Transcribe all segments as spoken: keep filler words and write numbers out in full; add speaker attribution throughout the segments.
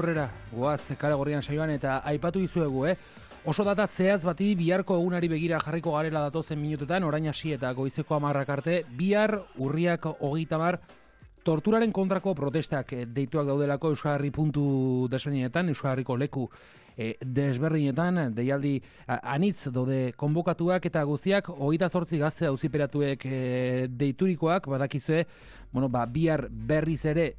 Speaker 1: Horrera, goaz, kale gorrian saioan eta aipatu dizuegu, eh? Oso data zehaz bati biharko egunari begira jarriko garela datozen minututan, orain hasi eta goizeko hamarrak arte, bihar urriak hogeita hamar torturaren kontrako protestak deituak daudelako Euskal Herri puntu desberdinetan, Euskal Herriko leku e, desberdinetan, deialdi anitz daude konbokatuak eta guztiak hogeita zortzi gazte auziperatuek e, deiturikoak, badakizue, bueno, ba, bihar berriz ere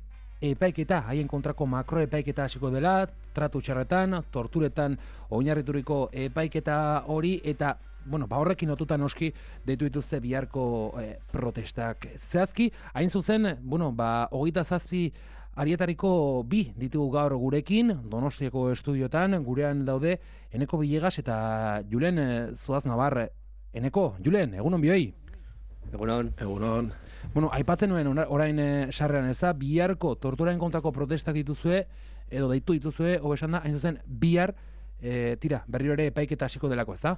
Speaker 1: epaiketa, haien kontrako makroepaiketa hasiko dela, tratu txarretan, torturetan oinarrituriko epaiketa hori, eta bueno, ba horrekin lotuta noski deitu dituzte biharko eh, protestak. Zehazki, hain zuzen, bueno, ba hogeita zazpi arietariko bi ditugu gaur gurekin, Donostiako estudiotan, gurean daude Eneko Villegas eta Julen eh, Zuaz Nabar. Eneko, Julen, egunon bioi.
Speaker 2: Egunon. Egunon.
Speaker 1: Bueno, aipatzen nuen orain e, sarrean ez da, biharko torturaren kontrako protestak dituzue, edo deitu dituzue, hobesan da, hain zuzen, bihar, e, tira, berriro ere epaiketa hasiko delako, ez da?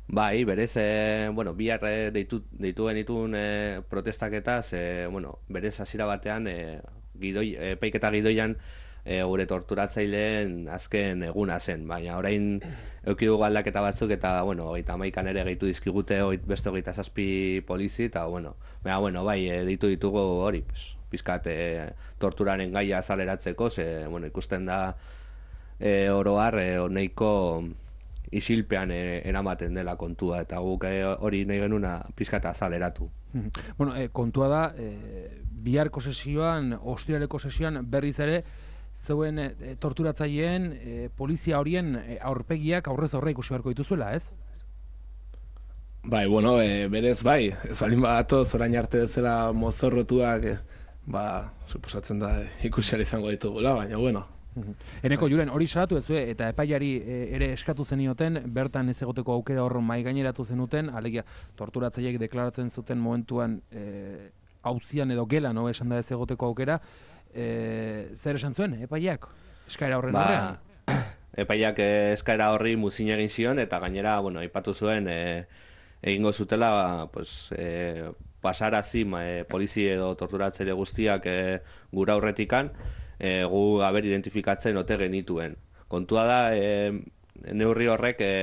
Speaker 2: Bai, berez, e, bueno, bihar e, deitu, deitu genitun e, protestaketaz, e, bueno, berez hasiera batean, e, gidoi, epaiketa gidoian, e, gure torturatzaileen azken eguna zen, baina orain eukidugu aldaketa batzuk eta, bueno, hogeita hamaikan ere gehitu dizkigute oit, beste hogeita zazpi polizi, eta, bueno, baina, bueno, bai, e, deitu ditugu hori, pues, pizkat e, torturaren gaia azaleratzeko, ze, bueno, ikusten da e, oroar, e, neiko isilpean e, eramaten dela kontua, eta guk e, hori nahi genuna pizkat azaleratu.
Speaker 1: Bueno, e, kontua da, e, biharko sesioan, ostiraleko sesioan berriz ere, zeuen e, torturatzaileen, e, polizia horien e, aurpegiak aurrez aurre ikusi beharko dituzuela, ez?
Speaker 3: Bai, bueno, e, berez bai, ez balin badatoz orain arte bezala mozorrotuak, e, ba, suposatzen da ikusiara izango ditugula, baina bueno.
Speaker 1: Eneko, Julen, hori salatu ez eta epaiari e, ere eskatu zenioten, bertan ez egoteko aukera hor mai gaineratu zenuten, alegia torturatzaileek deklaratzen zuten momentuan e, auzian edo gelan, no, esan da ez egoteko aukera, e, zer esan zuen, epaiak, eskaera horren
Speaker 2: ba,
Speaker 1: horrean?
Speaker 2: Epaiak eskaera horri muzin egin zion, eta gainera, bueno, aipatu zuen, e, egingo zutela, pues, e, pasarazi e, polizi edo torturatzaile guztiak e, gura aurretikan, e, gu haber identifikatzen ote genituen. Kontua da, e, neurri horrek e,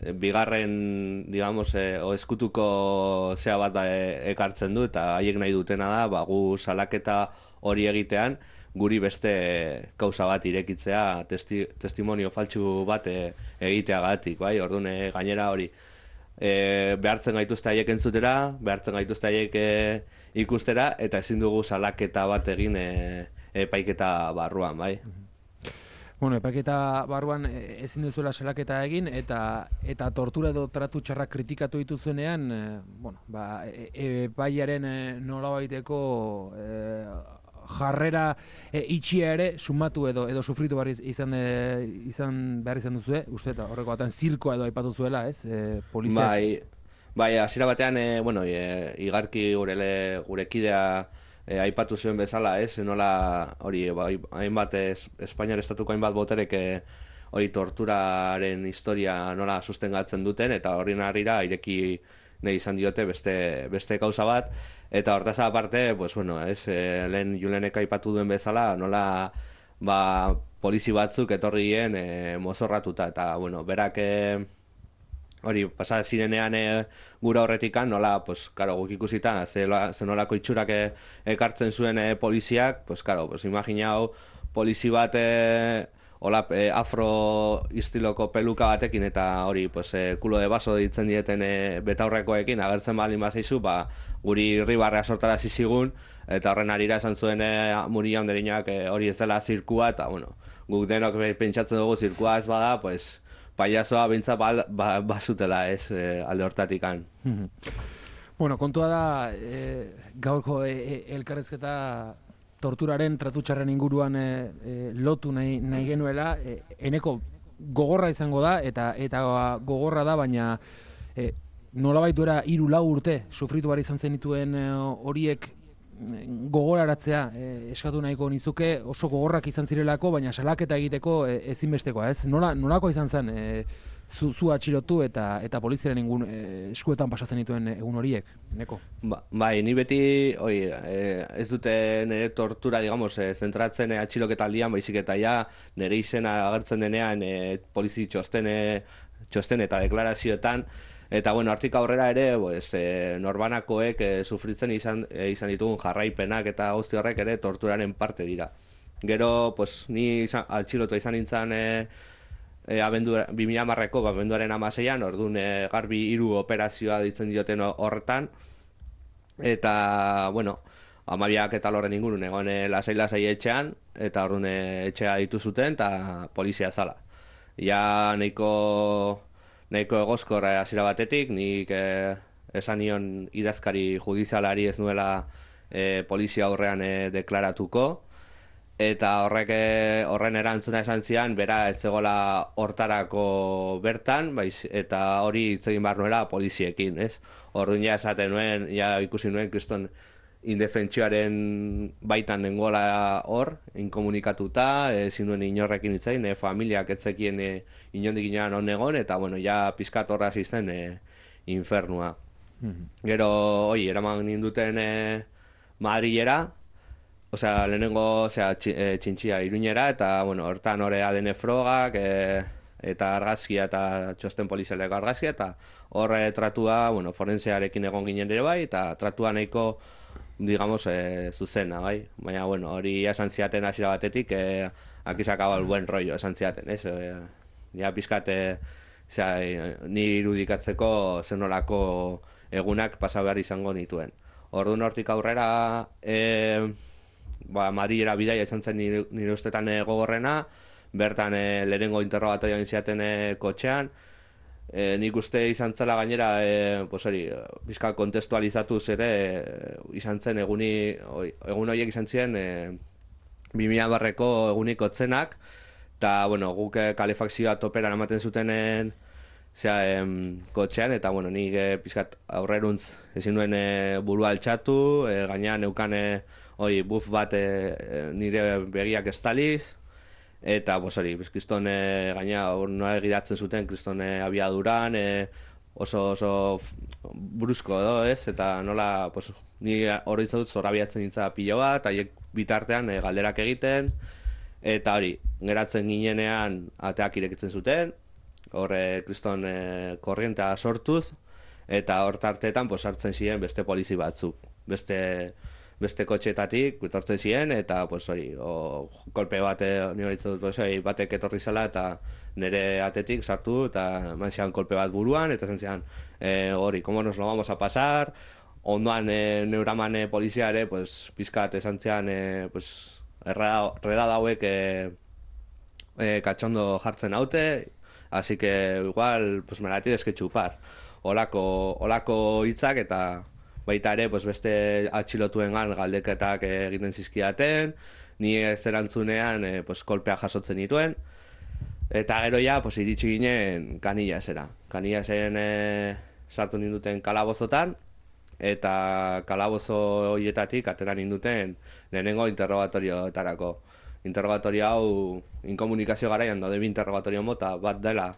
Speaker 2: bigarren, digamos, e, o eskutuko zea bat da, e, ekartzen du, eta haiek nahi dutena da, ba, gu salaketa hori egitean, guri beste kausa bat irekitzea, testi, testimonio faltsu bat e, egiteagatik, bai? Orduan e, gainera hori e, behartzen gaituzte haiek entzutera, behartzen gaituzte haiek e, ikustera, eta ezin dugu salaketa bat egin e, epaiketa barruan, bai?
Speaker 1: Bueno, epaiketa barruan ezin duzuela salaketa egin, eta eta tortura edo tratu txarrak kritikatu dituzuenean, e, bueno, ba, epaiaren e, nolabaiteko e, jarrera e, itxia ere sumatu edo edo sufritu behar izan, e, izan behar izan duzue, uste eta horreko batean zirkoa edo aipatu zuela, ez, e, polizia?
Speaker 2: Bai, bai, hasiera batean, e, bueno, e, igarki gurele, gure kidea E, aipatu zuen bezala, ez, nola hori, bai, hainbat es, Espainiar estatuko hainbat boterek e, hori torturaren historia nola sustengatzen duten, eta horren harrira ireki nahi izan diote beste, beste kausa bat, eta hortaz aparte, pues, bueno, ez, e, lehen Julenek aipatu duen bezala, nola ba, polizi batzuk etorri gien e, mozorratuta, eta, bueno, berak e, hori, pasa zirenean e, gura horretikan, nola, pues, karo, guk ikusita, ze, ze nolako itxurak e, ekartzen zuen e, poliziak, pues, karo, pues, imagina hau, polizi bat e, hola, e, afro istiloko peluka batekin, eta hori, pues, e, kulo de baso ditzen dieten e, betaurrekoekin, agertzen balin bazaizu, ba, guri irribarrea sortarazi zigun, eta horren harira esan zuen e, muri jaunderinak e, hori ez dela zirkua, eta, bueno, guk denok pentsatzen dugu zirkua ez bada, pues, paiazoa bintza bazutela ba, ez e, alde hortatikan.
Speaker 1: Bueno, kontua da e, gaurko e, e, elkarrezketa torturaren, tratutxarren inguruan e, e, lotu nahi, nahi genuela, e, Eneko gogorra izango da, eta eta gogorra da, baina e, nolabait duera hiru lau urte sufritu behar izan zenituen e, horiek gogoraratzea eh, eskatu nahiko nizuke, oso gogorrak izan zirelako, baina salaketa egiteko eh, ezinbestekoa, ez? Nola, nolako izan zen eh, zu, zu atxilotu eta eta poliziaren ingun eh, eskuetan pasatzen dituen egun horiek, neko?
Speaker 2: Ba, bai, ni beti oi, eh, ez dute nire tortura, digamos, eh, zentratzen eh, atxiloketaldian, baizik eta ja nire izena agertzen denean eh, polizi txosten, eh, txosten eta deklarazioetan. Eta bueno, hortik aurrera ere, pues, eh, norbanakoek eh, sufritzen izan, eh, izan ditugun jarraipenak eta guzti horrek ere torturaren parte dira. Gero, pues, ni izan, atxilotu izan nintzen eh, eh, abendu, bi mila hamarreko abenduaren hamaseian, orduan eh, garbi hiru operazioa ditzen dioten horretan. Eta, bueno, hamabiak eta lorren ingurun egon eh, lasai-lasai etxean, eta orduan eh, etxea ditu zuten, eta polizia zala. Ja nahiko... nahiko egozkor hasiera batetik, nik eh, esan nion idazkari judizialari ez nuela eh, polizia aurrean eh, deklaratuko, eta horrek eh, horren erantzuna esan zian, bera ez zegoela hortarako bertan, baiz, eta hori hitz egin behar nuela poliziekin, ez? Orduan ja esaten nuen, ja ikusi nuen kriston indefentsioaren baitan nengoela hor, inkomunikatuta, ezin nuen inorrekin hitzain, e, familiak etzekien e, inondik inoan on egon, eta bueno, ja pizkat horra hasi zen e, infernua. Mm-hmm. Gero, oi, eraman ninduten e, Madrilera, osea, lehenengo, osea, e, txintxia Iruñera, eta bueno, hortan hori A D N frogak, e, eta argazkia eta txosten polizialeko argazkia, eta horre tratua, bueno, forensearekin egon ginen ere bai, eta tratua nahiko digamos, eh, zuzena, bai? Baina, bueno, hori esan ziaten hasiera batetik, eh, aquí se acaba el buen rollo, esan ziaten, ez? Eh, ja, pizkat, eh, eh, ni irudikatzeko zenolako egunak pasa behar izango nituen. Orduan hortik aurrera, eh, ba, Madrilera bidaia izan zen nire, nire ustetan eh, gogorrena, bertan eh, lehenengo interrogatoria egin ziaten eh, kotxean, E, nik uste izan zela gainera, e, pues hori, bizka kontestualizatuz ere, e, izan zen eguni, oi, egun horiek izan ziren e, bi mila barreko egunik otzenak, eta, bueno, guk kalefakzioa toperan ematen zutenen zera, em, kotxean, eta, bueno, nik e, pizkat aurreruntz ezin nuen e, burua altxatu, e, gainean neukan e, hori, buff bat e, nire begiak estaliz, eta, pues hori, kriston e, gaina noa egidatzen zuten kriston e, abiaduran, e, oso oso brusko edo, ez? Eta nola, pues, ni hori dut zorabiatzen nintza pilo bat, haiek bitartean e, galderak egiten, eta hori, geratzen ginenean ateak irekitzen zuten, horre kriston e, korrientea sortuz, eta hor tartetan, pues, hartzen ziren beste polizi batzuk, beste... beste kotxeetatik etortzen ziren, eta pues, hori, o, kolpe bat nire ditzen dut, pues, hori, batek etorri zela, eta nire atetik sartu, eta eman zian kolpe bat buruan, eta zen zian, e, hori, komo nos lo vamos a pasar, ondoan e, neuraman e, polizia ere, pues, pizkat esan zian, e, pues, erreda dauek e, e, katxondo jartzen haute, así que igual, pues, me la tienes que chupar. Olako, olako hitzak eta baita ere, pues, beste atxilotuengan galdeketak egiten zizkidaten, ni ez erantzunean eh, pues, kolpea jasotzen dituen, eta gero ja, pues, iritsi ginen Canillasera. Canillaseren eh, sartu ninduten kalabozotan, eta kalabozo horietatik atera ninduten lehenengo interrogatorioetarako. Interrogatorio hau inkomunikazio garaian daude bi interrogatorio mota bat dela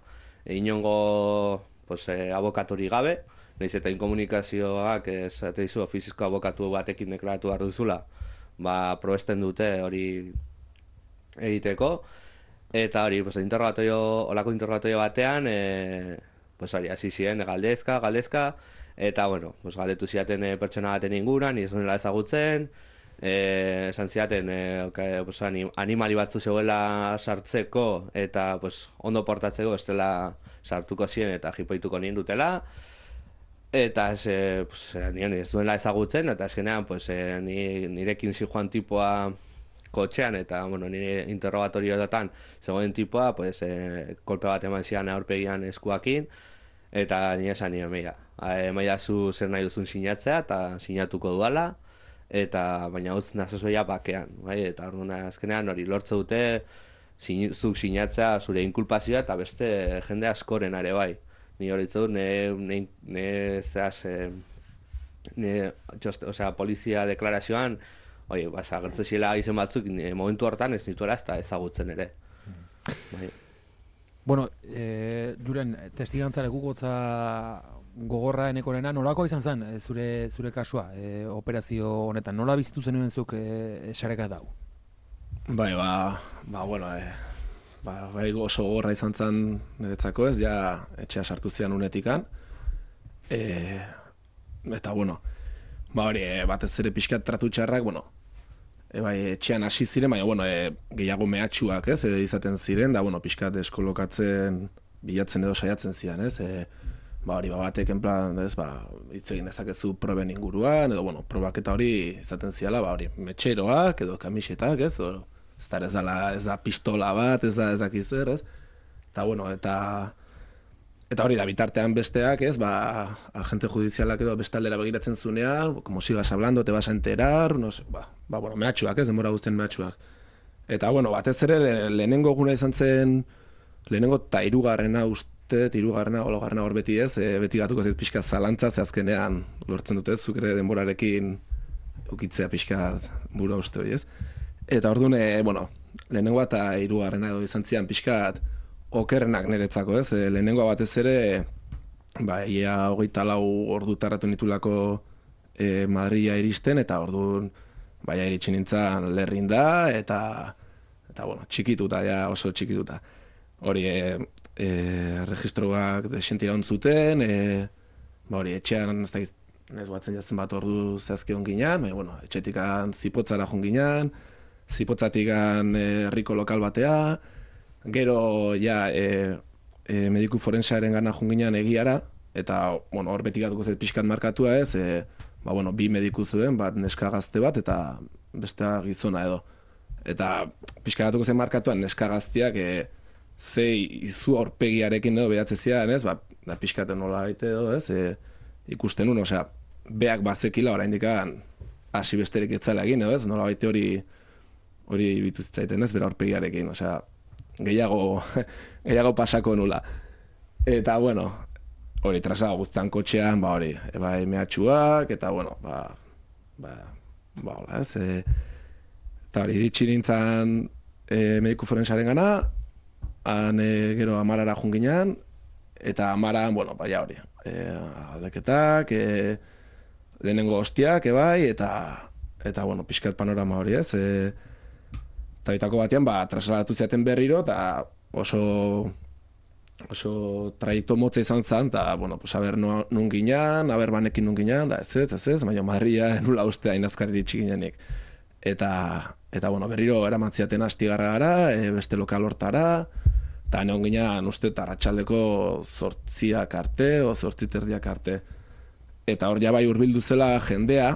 Speaker 2: e, inongo pues, eh, abokatori gabe, nahiz eta inkomunikazioak esate dizu ofizizko abokatu batekin deklaratu behar duzula, ba, probesten dute hori egiteko, eta hori, pues, interrogatorio, olako interrogatorio batean, e, pues, hori, hasi ziren galdezka, galdezka, eta, bueno, pues, galdetu ziaten e, pertsona baten inguran, ez nela ezagutzen, e, esan ziaten, e, okay, pues, animali batzu zegoela sartzeko, eta, pues, ondo portatzeko, ez dela sartuko ziren eta jipoituko nien dutela, eta ez, e, pues, nien ez duela ezagutzen, eta azkenean, pues, e, nirekin zijoan tipoa kotxean, eta, bueno, nire interrogatorioetan zegoen tipoa, pues, e, kolpe bat eman zian aurpegian eskuakin, eta nire esan nire, meia, maia zu zer nahi duzun sinatzea, eta sinatuko duala, eta baina utz nazazoia bakean, bai? Eta orduan azkenean hori lortze dute zuk sinatzea zure inkulpazioa eta beste jende askoren are bai. Ni hori dut, ne, ne, ne zehaz, e, ne, just, osea, polizia deklarazioan, oi, basa, gertzen zila izen batzuk, ne, momentu hortan ez nituela ez da ezagutzen ere. Bai.
Speaker 1: Bueno, e, Julen, testigantza lekukotza gogorra enekorena, nolako izan zen e, zure zure kasua, e, operazio honetan? Nola bizitu zenuen zuk e, esareka dau?
Speaker 3: Bai, ba, ba, bueno, e, ba, bai oso gogorra izan zen niretzako ez, ja etxea sartu zian unetikan. E, eta, bueno, ba hori, e, batez ere pixkat tratu txarrak, bueno, E, bai, etxean hasi ziren, baina, bueno, e, gehiago mehatxuak, ez, e, izaten ziren, da, bueno, pixkat eskolokatzen, bilatzen edo saiatzen ziren, ez, e, ba, hori, ba, batek, en plan, ez, ba, hitz egin dezakezu proben inguruan, edo, bueno, probak eta hori izaten ziala, ba, hori, metxeroak, edo kamisetak, ez, o, ez da, ez da, ez da pistola bat, ez da, ez dakiz zer, ez, eta, bueno, eta, eta hori da, bitartean besteak, ez, ba, agente judizialak edo bestaldera begiratzen zunean, como sigas hablando, te vas a enterar, no sé, ba, ba, bueno, mehatxuak, ez, denbora guztien mehatxuak. Eta, bueno, batez ere, lehenengo guna izan zen, lehenengo eta hirugarrena uste, hirugarrena, hologarrena hor beti ez, e, beti gatuko zait pixka zalantza, ze azkenean lortzen dute, zuk ere denborarekin ukitzea pixka bura uste hori, ez. Eta orduan, e, bueno, lehenengo eta hirugarrena edo izan zian pixkat, okerrenak niretzako, ez? E, lehenengoa batez ere, ba, ia hogeita lau ordu tarratu nitulako e, Madrila iristen, eta orduan, baina iritsi nintzen lerrinda, eta, eta bueno, txikituta, ja oso txikituta. Hori, e, e, registroak desentira ontzuten, e, ba, hori, etxean, ez da, ez batzen jatzen bat ordu zehazki onginan, baina, bueno, etxetikan zipotzara jonginan, zipotzatikan herriko lokal batea, gero, ja, e, e, mediku forensearen gana junginan egiara, eta, bueno, hor beti gatuko zait pixkat markatua ez, e, ba, bueno, bi mediku zuen, bat neska gazte bat, eta bestea gizona edo. Eta pixkat gatuko zait markatua neska gazteak, e, ze izu aurpegiarekin edo behatze zian, ez, ba, da pixkat nola baite edo, ez, e, ikusten un, osea, beak bazekila oraindik hasi besterik etzala egin, edo, ez, nola baite hori, hori ibitu zitzaiten, ez, bera aurpegiarekin, osea, gehiago, gehiago pasako nula. Eta, bueno, hori trasada guztan kotxean, ba hori, eba mehatxuak, eta, bueno, ba, ba, ba, hola, ez, e, eta hori, iritsi nintzen e, mediku forensaren gana, han e, gero amarara junginan, eta amaran, bueno, baina hori, e, aldeketak, e, lehenengo hostiak, ebai, eta, eta, bueno, pixkat panorama hori, ez, e, eta bitako batean, ba, trasladatu ziaten berriro, eta oso, oso traiektu motza izan zen, eta, bueno, pues, aber nun ginean, aber banekin nun ginean, da ez ez, ez ez, baina Madrila nula uste hain azkarri txiginenik. Eta, eta, bueno, berriro eraman ziaten Astigarra gara, e, beste lokal hortara, eta neon ginean uste arratsaldeko zortziak arte, o zortziterdiak arte. Eta hor ja bai hurbildu zela jendea,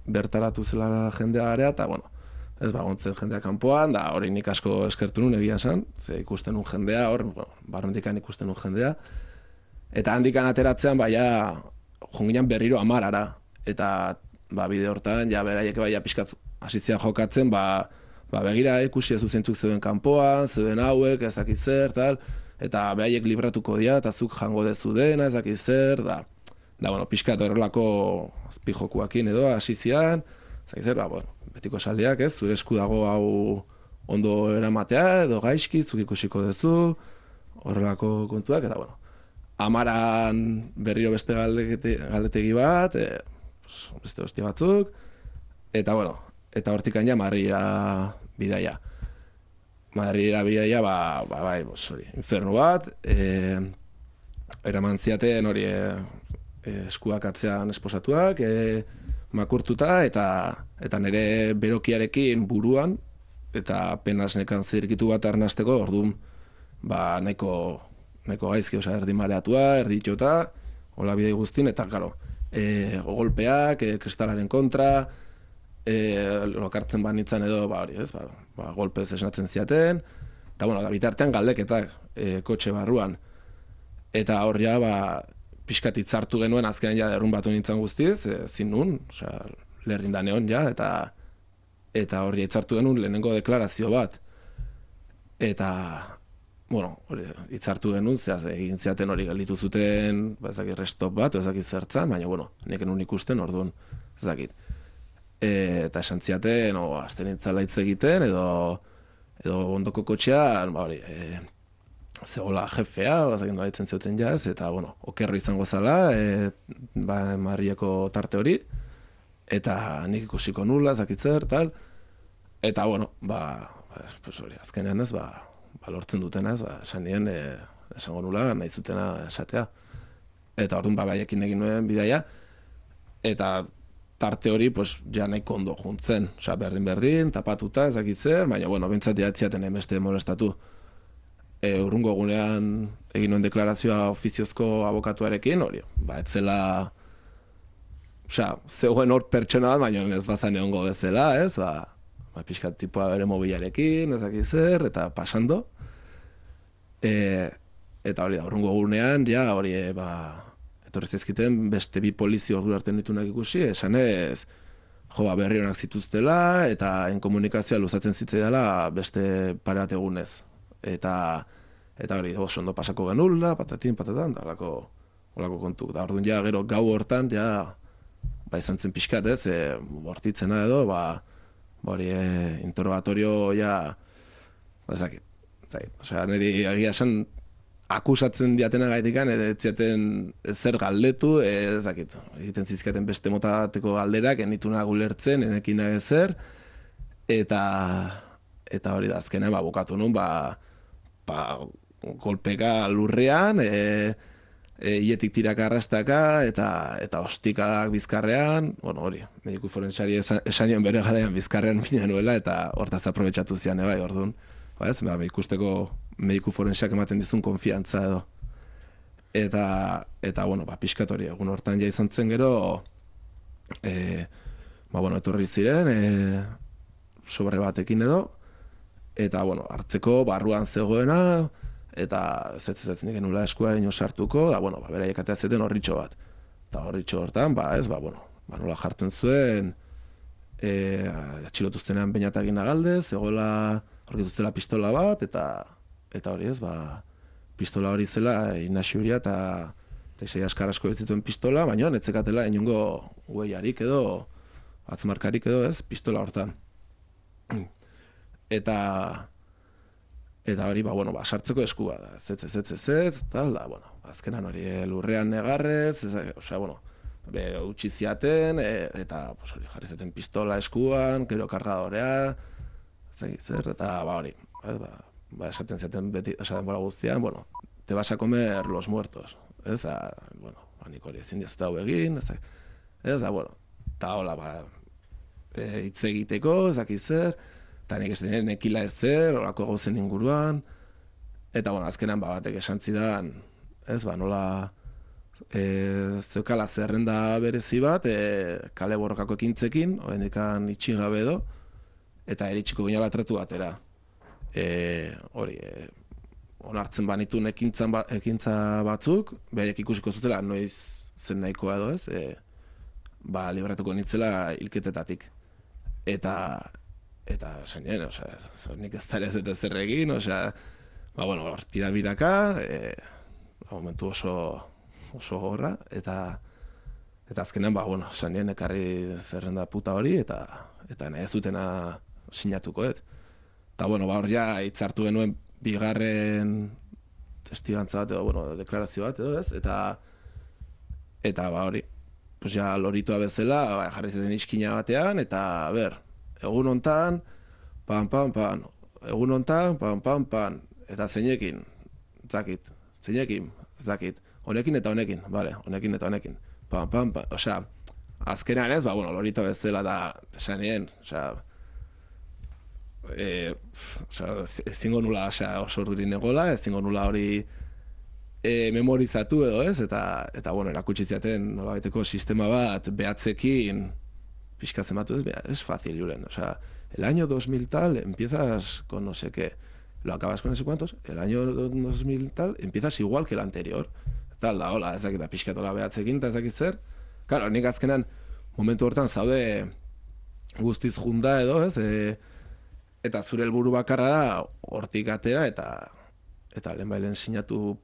Speaker 3: bertaratu zela jendea garea, eta, bueno, ez bagontzen jendea kanpoan, da hori nik asko eskertu nun egia esan, ze ikusten nun jendea, hor, bueno, barrendikan ikusten nun jendea, eta handikan ateratzean, baia, jonginan berriro amarara, eta, ba, bide hortan, ja, beraiek baia pixkat hasitzean jokatzen, ba, ba, begira ikusi ez zuzentzuk zeuden kanpoan, zeuden hauek, ez dakiz zer, tal, eta beraiek libratuko dira, eta zuk jango dezu dena, ez dakiz zer, da, da, bueno, pixkat horrelako azpijokuakin edo, hasitzean, ez dakiz zer, ba, bueno, betiko esaldiak, ez, zure esku dago hau ondo eramatea, edo gaizki, zuk ikusiko duzu, horrelako kontuak, eta, bueno, amaran berriro beste galdete, galdetegi bat, e, beste hostia batzuk, eta, bueno, eta hortik aina Madrila bidaia. Madrila bidaia, ba, ba, bai, hori, infernu bat, e, eraman ziaten hori e, eskuak atzean esposatuak, e, makurtuta, eta eta nire berokiarekin buruan, eta penas nekan zirkitu bat arnasteko, orduan, ba, nahiko, nahiko gaizki, oza, erdi mareatua, erdi itxota, hola bidei guztin, eta, karo, e, golpeak, e, kristalaren kontra, e, lokartzen banitzen edo, ba, hori, ez, ba, ba, golpez esnatzen ziaten, eta, bueno, bitartean galdeketak, e, kotxe barruan, eta hor ja, ba, pixkat itzartu genuen azkenean ja derrun batu nintzen guztiz, e, zin nun, osea, lerrinda neon ja, eta eta hori itzartu genuen lehenengo deklarazio bat. Eta, bueno, hori, hitzartu genuen, zehaz, egin zeaten hori gelditu zuten, ba, ezakit, restop bat, ezakit zertzan, baina, bueno, neken un ikusten, orduan, ezakit. E, eta esan ziaten, o, azten intzala hitz egiten, edo, edo ondoko kotxean, ba, hori, e, zegoela jefea, ezakit nola ditzen zioten jaz, eta, bueno, okerro izango zala, e, ba, Marrieko tarte hori, eta nik ikusiko nula, ezakit zer, tal, eta, bueno, ba, pues hori, azkenean ez, ba, ba lortzen dutena ez, ba, esan nien, e, esango nula, nahi zutena esatea. Eta orduan, ba, baiekin egin nuen bidaia, eta tarte hori, pues, ja nahiko ondo juntzen. Osea, berdin-berdin, tapatuta, ezakit zer, baina, bueno, bentsat jatziaten emeste molestatu. E, urrungo egunean egin nuen deklarazioa ofiziozko abokatuarekin, hori, ba, etzela, osea, zegoen hor pertsona bat, baina ez bazan egongo bezala, ez, ba, ba, pixkat tipoa bere mobilarekin, ezakit zer, eta pasando. E, eta hori da, urrungo egunean, ja, hori, e, ba, etorri zaizkiten beste bi polizio ordu arte nitunak ikusi, esanez, jo, ba, berri honak zituztela, eta inkomunikazioa luzatzen zitzaidala beste pare bat egunez. Eta, eta hori, oso ondo pasako genula, patatin, patatan, da olako, olako kontu. Da, orduan, ja, gero gau hortan, ja, ba, izan zen pixkat, ez, e, bortitzena edo, ba, ba hori, e, interrogatorio, ja, ba, ezakit, ezakit, osea, niri egia esan, akusatzen diatena gaitikan, ez ziaten zer galdetu, ez dakit, egiten zizkaten beste motateko galderak, enituna gulertzen, enekina ezer, eta eta hori da, azkenean, ba, bukatu nun, ba, ba, kolpeka lurrean, e, e, ietik tiraka arrastaka, eta, eta ostikak bizkarrean, bueno, hori, mediku forensari esan, esanion bere garaian bizkarrean mina nuela, eta hortaz aprobetxatu zian, bai, orduan, ba ez, ba, ikusteko mediku forenseak ematen dizun konfiantza edo. Eta, eta bueno, ba, pixkat hori, egun hortan ja izan zen gero, e, ba, bueno, etorri ziren, e, sobre batekin edo, eta, bueno, hartzeko barruan zegoena, eta ez ez ez nik nula eskua ino sartuko, da, bueno, ba, beraiek atea zeten horritxo bat. Eta horritxo hortan, ba, ez, ba, bueno, ba, nola jartzen zuen, e, atxilotuztenean bainatagin agaldez, zegoela horretuztela pistola bat, eta eta hori ez, ba, pistola hori zela Inaxiuria eta Teixei askar asko zituen pistola, baina netzekatela inongo hueiarik edo, atzmarkarik edo ez, pistola hortan. Eta, eta hori, ba, bueno, ba, sartzeko eskua da, ez, ez, ez, ez, ez, tal, da, bueno, azkenan hori lurrean negarrez, ez, osea, bueno, be, utzi ziaten, e, eta, pues, hori, jarri zaten pistola eskuan, gero kargadorea, zer, eta, ba, hori, ez, ba, ba, esaten zaten beti, esaten bora guztian, bueno, te vas a comer los muertos, ez da, bueno, ba, nik hori ezin diazuta hau egin, ez da, ez da, bueno, eta hola, ba, e, hitz egiteko, ez dakiz zer, eta nik ez den nekila ez zer, horako gauzen inguruan, eta, bueno, azkenan, ba, batek esan zidan, ez, ba, nola, e, zeukala zerrenda berezi bat, e, kale borrokako ekintzekin, horrendikan itxigabe edo, eta eritxiko ginala tratu batera. E, hori, e, onartzen banitun ekintzan ba, ekintza batzuk, behaiek ikusiko zutela noiz zen nahikoa edo ez, e, ba, liberatuko nitzela hilketetatik. Eta, eta, esan nien, osea, nik ez dara ez eta zer egin, osea, ba, bueno, tira biraka, e, ba, momentu oso, oso gorra, eta, eta azkenean, ba, bueno, esan nien, ekarri zerrenda puta hori, eta, eta nahi ez dutena sinatuko, et. Eta, bueno, ba, hor ja, hitzartu genuen bigarren testigantza bat edo, bueno, deklarazio bat edo, ez? Eta, eta, ba, hori, pues ja, loritua bezala, ba, jarri zeten iskina batean, eta, ber, egun hontan, pan, pan, pan, egun hontan, pan, pan, pan, eta zeinekin, zakit, zeinekin, zakit, honekin eta honekin, bale, honekin eta honekin, pan, pan, pan, osea, azkenean ez, ba, bueno, loritua bezala da, esan nien, osea, E, osea, ezingo nula osea, oso ordurin egola, ezingo nula hori e, memorizatu edo ez, eta, eta bueno, erakutsi ziaten nolabaiteko sistema bat behatzekin pixkatzen batu ez, es fácil, Julen, osea, el año dos mil tal empiezas con no sé qué, lo acabas con no sé cuántos, el año dos mil tal empiezas igual que el anterior, tal da, hola, ezakit da pixkatola behatzekin, eta ezakit zer, claro, nik azkenan momentu hortan zaude guztiz junda edo ez, e, eta zure helburu bakarra da hortik atera eta eta lehen bailen sinatu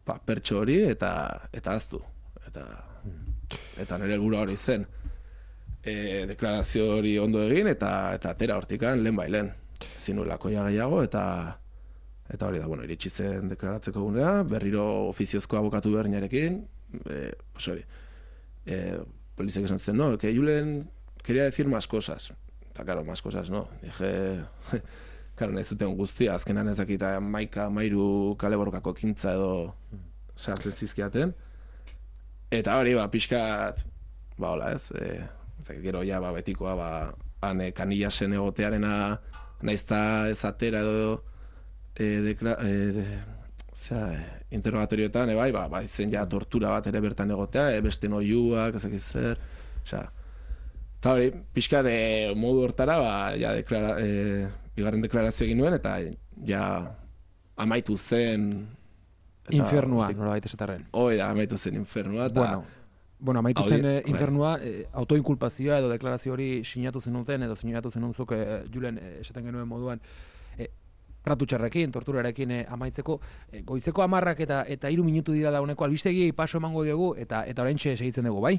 Speaker 3: pa, pertso hori, eta eta aztu. Eta, eta nire helburua hori zen. E, deklarazio hori ondo egin, eta eta atera hortikan lehen bailen. Zinulako ja gehiago, eta eta hori da, bueno, iritsi zen deklaratzeko gunea, berriro ofiziozko abokatu berdinarekin, e, pues hori, e, polizek esan zen, no, que Julen quería decir más cosas. Eta, claro, más cosas, no. Dije, claro, nahi zuten guztia, azkenan ez dakita maika, mairu kale borrokako kintza edo sartzen zizkiaten. Eta hori, ba, pixkat, ba, hola, ez, e, ez gero ja, ba, betikoa, ba, hane kanillasen egotearena, naizta ez atera edo, e, dekla, e, de, zera, interrogatorioetan, e, bai, ba, ba, izen ja tortura bat ere bertan egotea, e, beste noiuak, ezak zer, osea, eta hori, pixkat e, modu hortara, ba, ja, deklara, e, bigarren deklarazio egin nuen, eta ja, amaitu zen...
Speaker 1: Eta, infernua, nola baita esatarren.
Speaker 3: Hoi da, amaitu zen infernua, eta...
Speaker 1: Bueno. Bueno, amaitu zen eh, infernua, eh, autoinkulpazioa edo deklarazio hori sinatu zenuten, edo sinatu zenuntzuk eh, Julen eh, esaten genuen moduan, eh, tratutxarrekin, torturarekin eh, amaitzeko, eh, goizeko hamarrak eta eta hiru minutu dira dauneko albistegi paso emango diogu, eta eta oraintxe segitzen dugu, bai?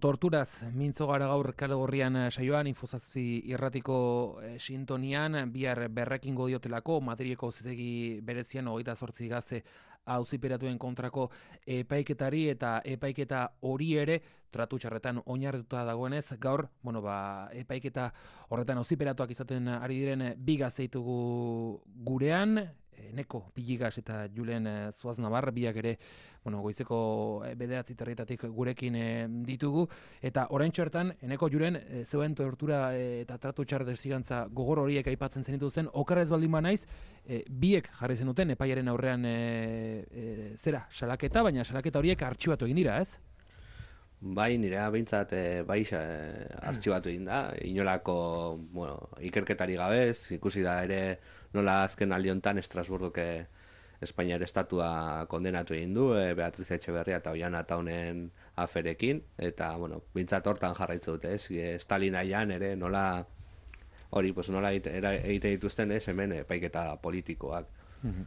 Speaker 1: Torturaz, mintzo gara gaur kale gorrian saioan, infozazpi irratiko eh, sintonian, bihar berrekingo diotelako, Madrileko auzitegi berezian hogeita zortzi gazte auziperatuen kontrako epaiketari, eta epaiketa hori ere tratu txarretan oinarrituta dagoenez, gaur, bueno, ba, epaiketa horretan auziperatuak izaten ari diren bi gazteitugu gurean, Neko Piligas eta Julen Zuaz Navarra, biak ere, bueno, goizeko bederatzi territatik gurekin ditugu, eta oraintxo hartan, Neko Julen, zeuen tortura eta tratu txar desigantza gogor horiek aipatzen zenituzten, okerrez baldin ba naiz, e, biek jarri zenuten epaiaren aurrean e, e, zera, salaketa, baina salaketa horiek artxibatu egin dira, ez?
Speaker 2: Bai, nirea behintzat e, bai e, artxibatu egin da, inolako bueno, ikerketari gabez, ikusi da ere nola azken aldi honetan Estrasburgoke Espainiar estatua kondenatu egin du, e, Beatriz Etxeberria eta Oiana Taunen aferekin, eta, bueno, behintzat hortan jarraitzu dute, ez, e, Stalin aian ere nola, hori, pues nola egite dituzten, ez, hemen epaiketa politikoak.
Speaker 1: Mm-hmm.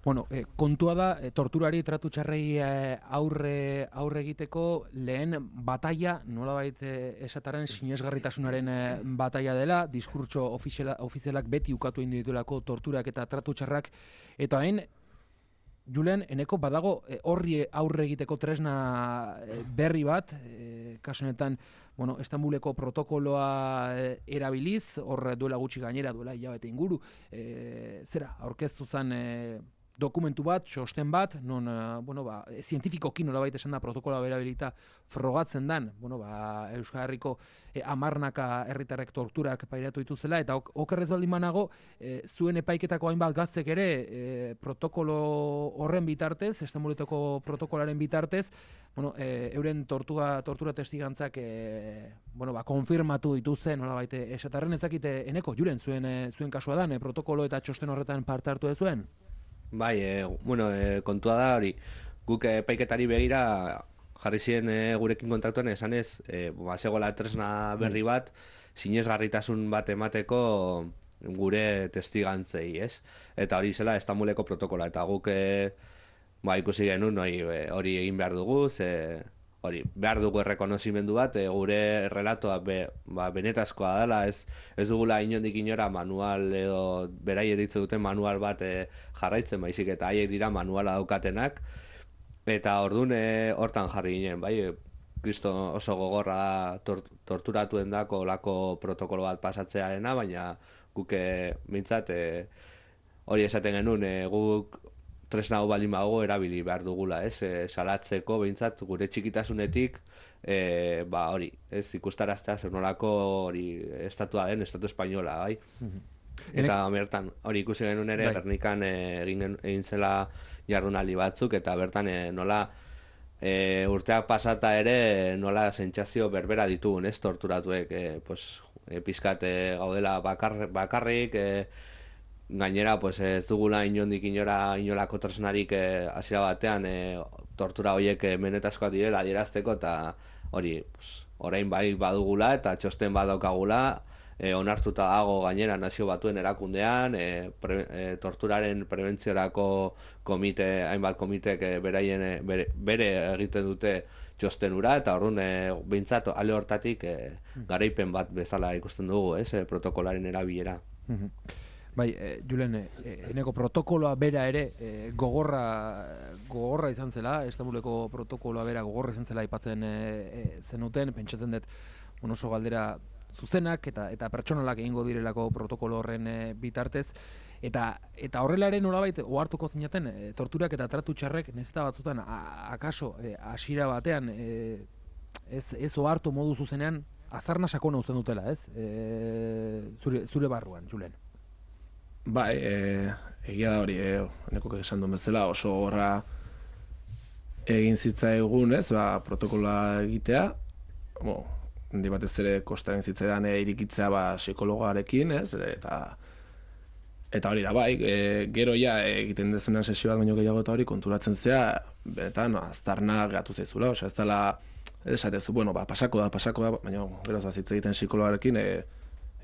Speaker 1: Bueno, eh, kontua da, eh, torturari tratu txarrei eh, aurre, aurre egiteko lehen bataia, nolabait eh, esataren sinesgarritasunaren eh, bataia dela, diskurtso ofiziala, ofizialak beti ukatu egin dituelako torturak eta tratu txarrak, eta hain, Julen, eneko badago eh, horri aurre egiteko tresna eh, berri bat, eh, kasu honetan, bueno, Estambuleko protokoloa eh, erabiliz, hor duela gutxi gainera, duela hilabete inguru, eh, zera, aurkeztu zen eh, dokumentu bat, txosten bat, non, uh, bueno, ba, zientifikoki nolabait esan da protokoloa berabilita frogatzen dan, bueno, ba, Euskal Herriko eh, amarnaka herritarrek torturak pairatu dituzela, eta ok, okerrez baldin banago, eh, zuen epaiketako hainbat gaztek ere eh, protokolo horren bitartez, Estambuleko protokolaren bitartez, bueno, eh, euren tortura, tortura testigantzak eh, bueno, ba, konfirmatu dituzte, nolabait esatarren ezakite, Eneko, Julen, zuen, eh, zuen kasua dan, eh, protokolo eta txosten horretan parte hartu dezuen?
Speaker 2: Bai, e, bueno, e, kontua da hori, guk epaiketari begira jarri ziren e, gurekin kontaktuan esanez, e, ba, zegoela tresna berri bat, sinesgarritasun bat emateko gure testigantzei, ez? Eta hori zela Estambuleko protokola, eta guk e, ba, ikusi genuen hori, hori egin behar dugu, ze, hori, behar dugu errekonozimendu bat, e, gure relatoa be, ba, benetazkoa dela, ez, ez dugula inondik inora manual edo berai eritze duten manual bat e, jarraitzen, baizik eta haiek dira manuala daukatenak, eta ordun e, hortan jarri ginen, bai, e, kristo oso gogorra tort, torturatuen dako olako protokolo bat pasatzearena, baina guk e, mintzat e, hori esaten genuen, e, guk tresna hau baldin bago erabili behar dugula, ez, e, salatzeko behintzat gure txikitasunetik, e, ba hori, ez, ikustaraztea zer nolako hori estatua den, estatu espainola, bai. Mm-hmm. Eta bertan, hori ikusi genuen ere, bai. Gernikan e, egin, egin zela jardunaldi batzuk, eta bertan e, nola e, urteak pasata ere nola sentsazio berbera ditugun, ez, torturatuek, e, pues, e, pizkat e, gaudela bakar, bakarrik, e, gainera, pues, ez dugula inondik inora inolako tresnarik hasiera eh, batean eh, tortura horiek eh, benetazkoak direla adierazteko, eta hori, pues, orain bai badugula eta txosten badaukagula, e, onartuta dago gainera nazio batuen erakundean, e, pre, e, torturaren prebentziorako komite, hainbat komitek e, beraien, e, bere, bere egiten dute txostenura, eta orduan e, behintzat ale hortatik e, garaipen bat bezala ikusten dugu, ez, e, protokolaren erabilera.
Speaker 1: Bai, e, Julen, e, eneko protokoloa bera ere e, gogorra, gogorra izan zela, Estambuleko protokoloa bera gogorra izan zela aipatzen e, e, zenuten, pentsatzen dut, oso galdera zuzenak eta eta pertsonalak egingo direlako protokolo horren e, bitartez, eta eta horrelaren nolabait ohartuko zinaten e, torturak eta tratu txarrek nezta batzutan a, akaso e, hasiera batean e, ez ez ohartu modu zuzenean azarna sakona uzten dutela, ez? E, zure zure barruan, Julen.
Speaker 3: Bai, e, egia da hori, e, nekok esan duen bezala, oso horra egin zitzaigun, ez, ba, protokoloa egitea, bo, handi batez ere kosta egin zitzaidan e, irikitzea ba, psikologoarekin, ez, eta eta hori da, bai, e, gero ja egiten dezunean sesio bat baino gehiago eta hori konturatzen zea, benetan, aztarna gatu zaizula, osea, ez dela, esatezu, bueno, ba, pasako da, pasako da, baina gero zazitze egiten psikologarekin, e,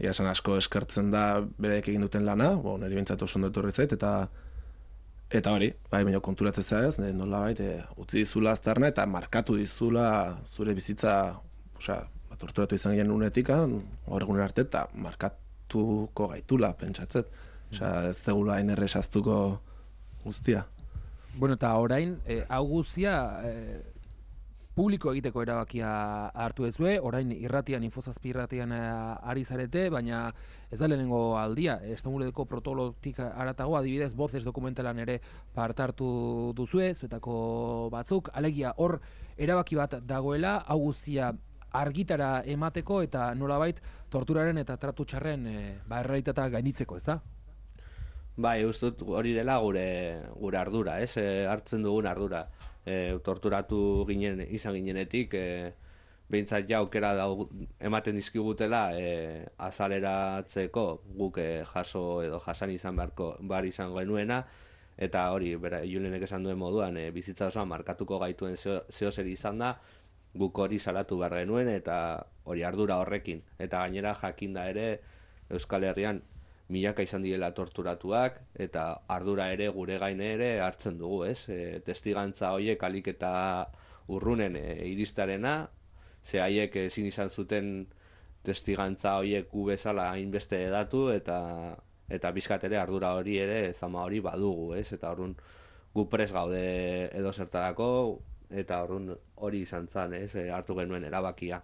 Speaker 3: Ia esan asko eskertzen da bereek egin duten lana, bo, niri bintzat oso ondo etorri zait, eta eta hori, bai, baina konturatzen zaiz, nola bait, e, utzi dizula aztarna eta markatu dizula zure bizitza, osea, ba, torturatu izan ginen unetik, gaur egunen arte, eta markatuko gaitula, pentsatzet. Osea, ez zegula hain erresaztuko guztia.
Speaker 1: Bueno, eta orain, e, hau guztia, e, publiko egiteko erabakia hartu ezue, orain irratian, infozazpi irratian ari zarete, baina ez da lehenengo aldia, Estambuleko protokolotik haratago, adibidez, Voces dokumentalan ere part hartu duzue, zuetako batzuk, alegia hor erabaki bat dagoela, hau guztia argitara emateko eta nolabait torturaren eta tratu txarren e, ba, errealitatea gainditzeko, ez da?
Speaker 2: Bai, uste dut hori dela gure, gure ardura, ez? E, hartzen dugun ardura. E, torturatu ginen izan ginenetik, e, behintzat ja aukera ematen dizkigutela e, azaleratzeko guk e, jaso edo jasan izan beharko bar izan genuena, eta hori, bera, Julenek esan duen moduan, e, bizitza osoan markatuko gaituen zeo zer izan da, guk hori salatu behar genuen, eta hori ardura horrekin. Eta gainera jakinda ere Euskal Herrian milaka izan direla torturatuak, eta ardura ere gure gaine ere hartzen dugu, ez? E, testigantza horiek alik eta urrunen e, iristarena, ze haiek ezin izan zuten testigantza horiek gu bezala hainbeste edatu, eta eta bizkat ere ardura hori ere zama hori badugu, ez? Eta orrun gu pres gaude edo zertarako, eta orrun hori izan zen, ez? E, hartu genuen erabakia.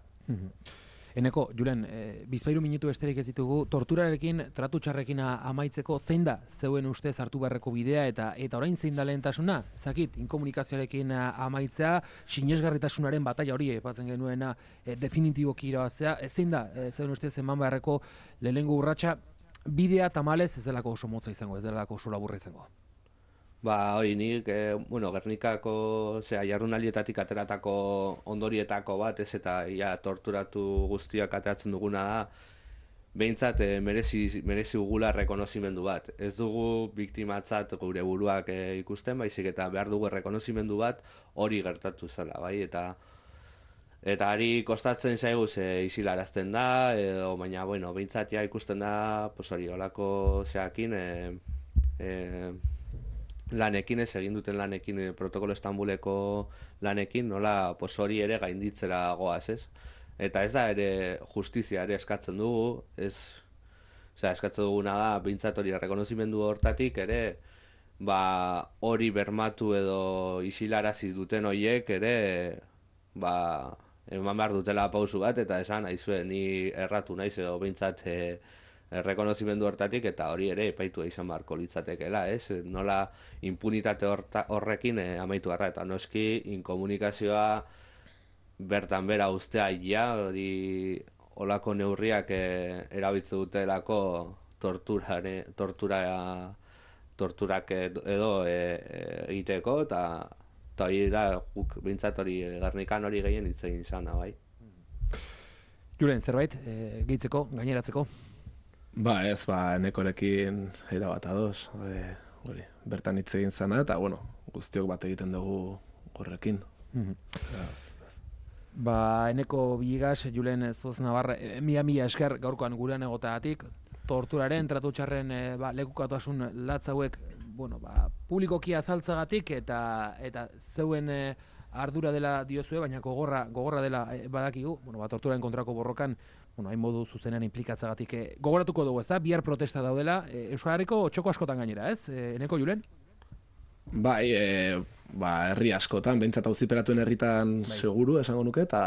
Speaker 1: Eneko, Julen, e, bizpairu minutu besterik ez ditugu, torturarekin, tratu txarrekin amaitzeko, zein da zeuen ustez hartu beharreko bidea eta eta orain zein da lehentasuna? Zakit, inkomunikazioarekin amaitzea, sinesgarritasunaren bataila hori epatzen genuena e, definitiboki irabaztea, e, zein da e, zeuen ustez eman beharreko lehenengo urratsa bidea tamalez ez delako oso motza izango, ez delako oso laburra izango?
Speaker 2: Ba, hori nik, e, bueno, Gernikako, zera, jarrunaldietatik ateratako ondorietako bat, ez, eta ja, torturatu guztiak ateratzen duguna da, behintzat e, merezi, merezi ugula rekonozimendu bat. Ez dugu biktimatzat gure buruak e, ikusten, baizik eta behar dugu rekonozimendu bat hori gertatu zela, bai, eta eta ari kostatzen zaigu ze isilarazten da, edo, baina, bueno, behintzat ja ikusten da, pues hori, olako zeakin, e, e, lanekin, ez egin duten lanekin, protokolo Estambuleko lanekin, nola pos hori ere gainditzera goaz, ez? Eta ez da ere justizia ere eskatzen dugu, ez, osea, eskatzen duguna da, bintzat hori rekonozimendu hortatik ere, ba, hori bermatu edo isilarazi duten horiek ere, ba, eman behar dutela pausu bat, eta esan, aizue, ni erratu naiz edo bintzat, e, rekonozimendu hortatik, eta hori ere epaitua izan beharko litzatekeela, ez? Nola impunitate horta, horrekin e, amaitu harra, eta noski inkomunikazioa bertan bera ustea ja, hori olako neurriak e, erabiltze dutelako torturare, tortura, torturak edo e, e, egiteko, eta eta hori da, guk bintzat hori Gernikan hori gehien hitz egin izana, bai.
Speaker 1: Julen, zerbait, e, gehitzeko, gaineratzeko?
Speaker 3: Ba ez, ba, Enekorekin erabat ados, e, hori, bertan hitz egin zana, eta bueno, guztiok bat egiten dugu horrekin.
Speaker 1: Mm-hmm. Ba, Eneko Villegas, Julen Zoz Navarra, mila mila esker gaurkoan gurean egoteagatik, torturaren, tratu txarren e, ba, lekukatasun latz hauek, bueno, ba, publikoki azaltzagatik eta eta zeuen e, ardura dela diozue, baina gogorra, gogorra dela e, badakigu, bueno, ba, torturaren kontrako borrokan, bueno, hain modu zuzenean inplikatzagatik e, gogoratuko dugu, ezta? Bihar protesta daudela, e, Euskal Herriko txoko askotan gainera, ez? E, Eneko, Julen?
Speaker 3: Bai, e, ba, herri askotan, behintzat auziperatuen herritan bai. Seguru, esango nuke, eta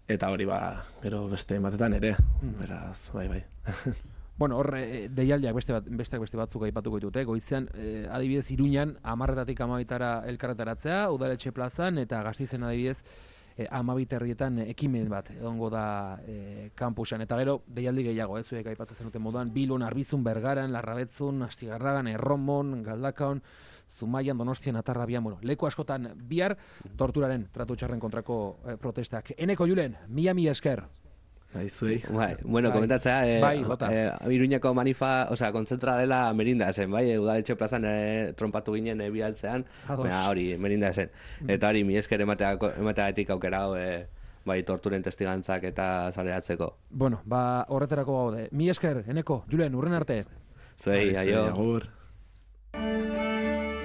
Speaker 3: eta hori, ba, gero beste batetan ere, mm. beraz, bai, bai.
Speaker 1: Bueno, hor, e, deialdiak beste, bat, besteak beste batzuk aipatuko ditute, goizean, e, adibidez, Iruñan, amarretatik amabitara elkarretaratzea, udaletxe plazan, eta Gasteizen adibidez, e, amabit herrietan ekimen bat, egongo da e, kampusan, eta gero, deialdi gehiago, ez, zuek aipatzen zenuten moduan, Bilbon, Arbizun, Bergaran, Larrabetzun, Astigarragan, Erromon, Galdakaon, Zumaian, Donostian, Atarrabian, bueno, leku askotan bihar torturaren tratu txarren kontrako eh, protestak. Eneko, Julen, mila mila esker.
Speaker 3: Bai, zuei.
Speaker 2: Bai, bueno, bai. Komentatzea, eh,
Speaker 1: bai,
Speaker 2: eh, Iruñako manifa, osea, kontzentra dela merinda zen, bai, udaletxe plazan eh, trompatu ginen eh, bialtzean, baina hori, merinda zen. Eta hori, mi esker emateagatik aukera hau, eh, bai, torturen testigantzak eta zaleratzeko.
Speaker 1: Bueno, ba, horretarako gaude. Mi esker, Eneko, Julen, urren arte.
Speaker 2: Zuei, aio.
Speaker 3: Agur.